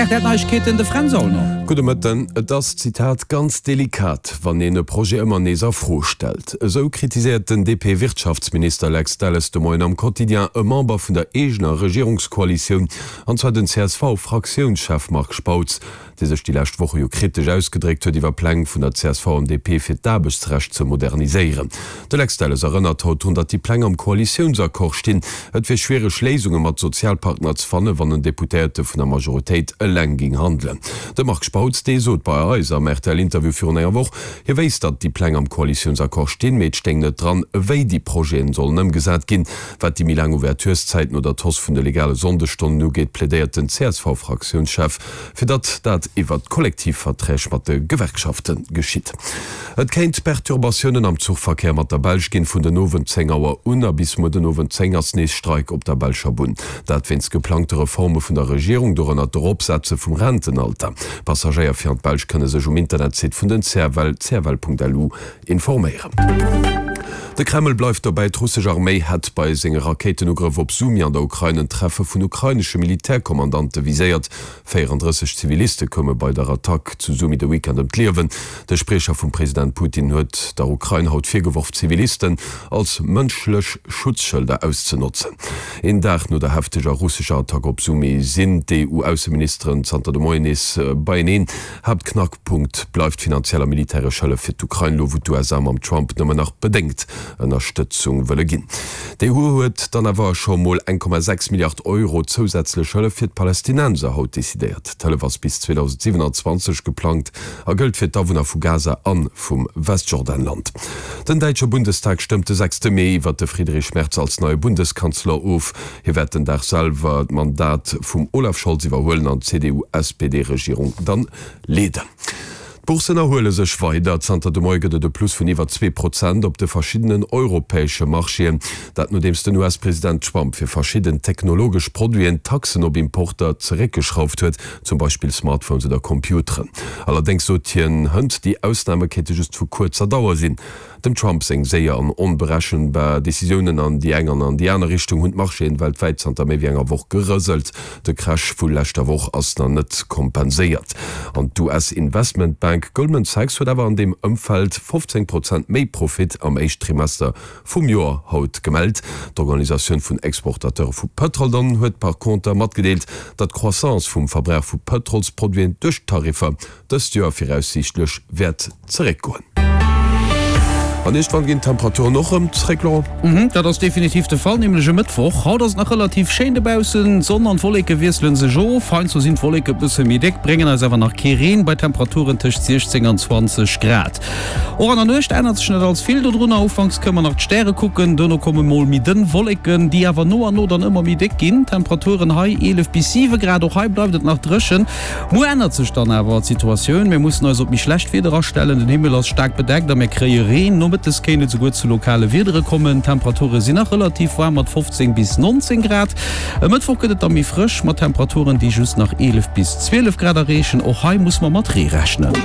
Rtl Neiegkeeten, de Fränz Aulner. Gudde Mëtten. Et ass, Zitat, ganz delikat, wann een e Projet ëmmer nees a Fro stellt. Esou kritiséiert den DP-Wirtschaftsminister Lex Delles de Moien am Quotidien e Member vun der eegener Regierungskoalitioun, an zwar den CSV-Fraktiounschef Marc Spautz, dee sech déi lescht Woche jo kritesch ausgedréckt huet iwwer Pläng vun der csv an DP fir d'Aarbechtsrecht ze moderniséieren. De Lex Delles erënnert haut drun, datt déi Pläng am Koalitiounsaccord stinn. Et wier schwiereg Léisunge mat Sozialpartner ze fannen, wann en Deputéierte vun der Majoritéit eleng géing handelen. De Marc Spautz, dee sot bei eis am RTL-Interview virun enger Woch, hie wéisst, datt déi Pläng am Koalitiounsaccord stinn, mee et stéing net dran, wéi déi Projeten sollen ëmgesat ginn. Wat déi méi laang Ouvertureszäiten oder d'Hausse vun de legale Sonndesstonnen ugeet, plädéiert den CSV-Fraktiounschef, fir datt dat iwwert d'Kollektivverträg mat de Gewerkschafte geschitt. Et kéint Perturbatiounen am Zuchverkéier mat der Belsch ginn. Vun den Owend 10 Auer un a bis muer den Owend 10 ass nees Streik op der belscher Bunn. Dat wéinst geplangte Reforme vun der Regierung, dorënner d'Eropsetze vum Rentenalter. Passagéier fir an d'Belsch kënne sech um Internetsite vun den CFL, cfl.lu, informéieren. De Kreml bleift dobäi, D'russesch Arméi hätt bei senge Rakéitenugrëff op Sumy an der Ukrain en Treffe vun ukrainesche Militärkommandante viséiert. 34 Ziviliste koume bei der Attack zu Sumy de Weekend ëm d'Liewen. De Spriecher vum President Putin huet der Ukrain haut virgeworf, Zivilisten als mënschlech Schutzschëlder auszenotzen. Een Dag no der hefteger russescher Attack op Sumy sinn d'EU-Ausseministeren zanter de Moien nees beieneen. Haaptknackpunkt bleift finanziell a militäresch Hëllef fir d'Ukrain, elo wou d'USA mam Trump nëmmen nach bedéngt Ënnerstëtzung wëlle ginn. D'EU huet dann awer scho mol 1,6 Milliard Euro zousätzlech Hëllef fir d'Palästinenser haut decidéiert. D'Hëllef ass bis 2027 geplangt a gëllt fir d'Awunner vu Gaza a vum Westjordanland. Den däitsche Bundestag stëmmt de sechste Mee iwwer de Friedrich Merz als neie Bundeskanzler of. Hie wäert den Dag selwer d'Mandat vum Olaf Scholz iwwerhuelen an d'CDU-SPD-Regierung dann leeden. D'Bourssen erhuele sech weider. Zanter de Moie gëtt et e Plus vun iwwer 2% op de verschiddenen europäesche Marchéen. Dat nodeems den US-President Trump fir verschidden technologesch Produiten d'Taxen op Importer zeréckgeschrauft huet, zum Beispill Smartphones oder Computeren. Allerdéngs sot hien hënt, déi Ausname kéinte just vu kuerzer Dauer sinn. Dem Trump seng séier an onberechenbar Decisiounen an déi eng an an déi aner Richtung hunn d'Marchéen weltwäit zanter méi wéi enger Woch gerëselt. De Crash vu leschter Woch ass nach net kompenséiert an d'US-Investmentbank Goldman Sachs huet awer an deem Ëmfeld 15 Prozent méi Profit am éischt Trimester vum Joer haut gemellt. D'Organisatioun vun Exportateure vu Pëtrol dann huet par conter matgedeelt, datt d'Croissance vum Verbrauch vu Pëtrolsproduiten duerch d'Tariffer dëst Joer viraussiichtlech wäert zeréckgoen. An iergendwann ginn d'Temperaturen och erëm zeréck, Laurent? Mhm, dat ass definitiv de Fall, nämlech e Mëttwoch. Haut ass et nach relativ schéin dobaussen, d'Sonn an d'Wolleke wiessele sech of. Heiansdo sinn d'Wolleke e bësse méi déck, bréngen eis awer nach kee Reen, bei Temperaturen tëscht 16 an 20 Grad. Och an der Nuecht ännert sech net allze vill dodrunner, ufanks kënne mer nach d'Stäre kucken, dono komme mol méi dënn Wolleken, déi awer no an no dann ëmmer méi déck ginn. Temperaturen hei 11 bis 7 Grad, och hei bleift et nach dréchen. Muer ännert sech dann awer d'Situatioun, mir mussen eis op méi schlecht Wieder astellen. Den Himmel ass staark bedeckt a mir kréie Reen. Nomëttes kéint et esouguer zu lokale Wiedere kommen. D'Temperature sinn nach relativ waarm mat 15 bis 19 Grad. E Mëttwoch gëtt et da méi frësch mat Temperaturen, déi just nach 11 bis 12 Grad erreechen. Och hei musse mer mat Ree rechnen.